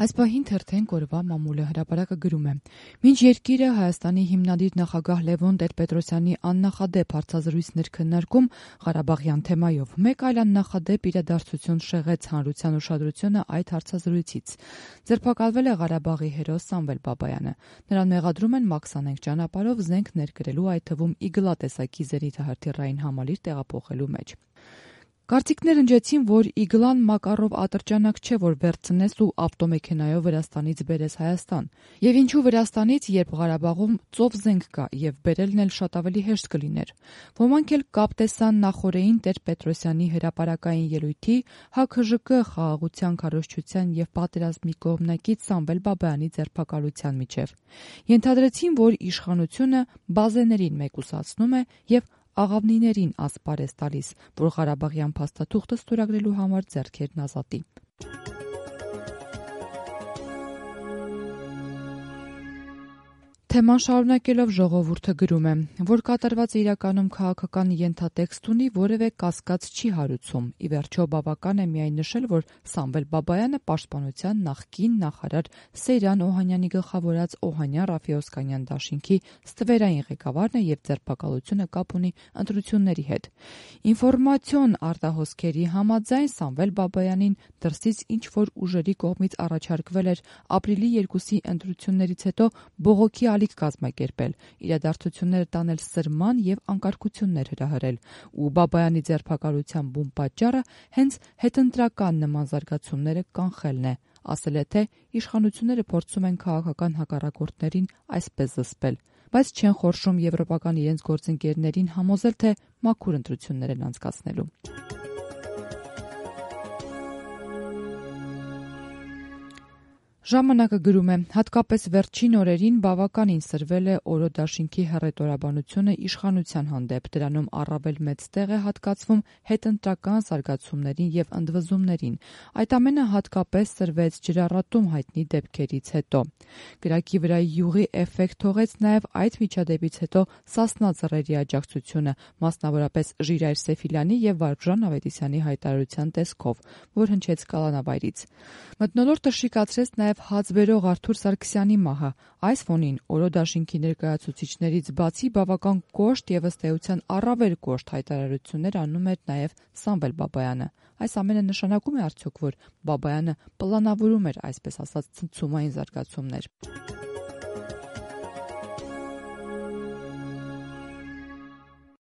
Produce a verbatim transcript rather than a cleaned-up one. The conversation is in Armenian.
Այս պահին թերթեն կորվա մամուլը հրապարակը գրում է. Մինչ երկիրը Հայաստանի հիմնադիր նախագահ Լևոն Տեր-Պետրոսյանի աննախադեպ հարցազրույցներ քննարկում Ղարաբաղյան թեմայով, մեկ այլ աննախադեպ իրադարձություն շեղեց հանրության ուշադրությունը այդ հարցազրույցից։ Ձերբակալվել է Ղարաբաղի հերոս Սամվել Բաբայանը։ Նրան մեղադրում են մաքսանենգ ճանապարհով զենք ներկրելու, այդ թվում իգլա տեսակի զենիթահրթիռային համալիր տեղափոխելու մեջ։ Կարծիքներ ընջեցին, որ իգլան Մակարով ատրճանակ չէ, որ վերցնես ու ավտոմեքենայով Վրաստանից բերես Հայաստան։ Եվ ինչու Վրաստանից, երբ Ղարաբաղում ծով զենք կա, եւ բերելն էլ շատ ավելի հեշտ կլիներ։ Ոմանք էլ կապ տեսան նախորդային Տեր-Պետրոսյանի հրապարակային ելույթի ՀԱՔԺԿ խաղաղության, քարոզչության եւ պատերազմի կողմնակից Սամվել Բաբայանի ձերբակալության միջև։ Ենթադրեցին, որ իշխանությունը բազեներին մեկուսացնում է եւ աղավնիներին ասպարեզ տալիս, որ Ղարաբաղյան փաստաթուղթը ստորագրելու համար ձեռքերն ազատի։ Թեման շարունակելով ժողովուրդը գրում է, որ կատարված իրականում քաղաքական ենթատեքստ ունի, որևէ կասկած չի հարուցում։ Ի վերջո բավական է միայն նշել, որ Սամվել Բաբայանը պաշտպանության նախկին նախարար Սեյրան Օհանյանի գլխավորած Օհանյան-Ռաֆի Օսկանյան դաշինքի ստվերային ղեկավարն է եւ ձերբակալությունը կապ ունի ընտրությունների հետ։ Ինֆորմացիոն արտահոսքերի համաձայն Սամվել Բաբայանին դրսից ինչ որ ուժերի կողմից առաջարկվել էր ապրիլի երկուսի ընտրություններից հետո բողոքի ալիք կազմակերպել, իրադարձությունները տանել սրման եւ անկարգություններ հրահրել, ու Բաբայանի ձերբակալության բուն պատճառը հենց հետընտրական նման զարգացումները կանխելն է, ասել է, թե իշխանությունները փորձում են քաղաքական հակառակորդներին այսպես զսպել, բայց չեն խորշում եվրոպական իրենց գործընկերներին համոզել, թե մաքուր ընտրություններ են անցկացնելու։ Ժամանակը գրում է. հատկապես վերջին օրերին բավականին սրվել է Օրո դաշինքի հռետորաբանությունը իշխանության հանդեպ, դրանում առավել մեծ տեղ է հատկացվում հետընտրական զարգացումներին եւ ընդվզումներին։ Այդ ամենը հատկապես սրվեց ջրառատում հայտնի դեպքերից հետո։ Գրակի վրա յուղի էֆեկտ թողեց նաեւ այդ միջադեպից հետո Սասնա Ձռերի աջակցությունը, մասնավորապես Ժիրայր Սեֆիլյանի եւ Վարուժան Ավետիսյանի հայտարարության տեսքով, որ հնչեց կալանավայրից։ Մթնոլորտը շիկացրեց նաեւ հացբերող Արթուր Սարգսյանի մահը։ Այս ֆոնին Օրո դաշինքի ներկայացուցիչներից բացի բավական կոշտ եւ ըստ էության առավել կոշտ հայտարարություններ անում էր նաեւ Սամվել Բաբայանը։ Այս ամենը նշանակում է արդյոք, որ Բաբայանը պլանավորում էր, այսպես ասած, ցնցումային զարգացումներ։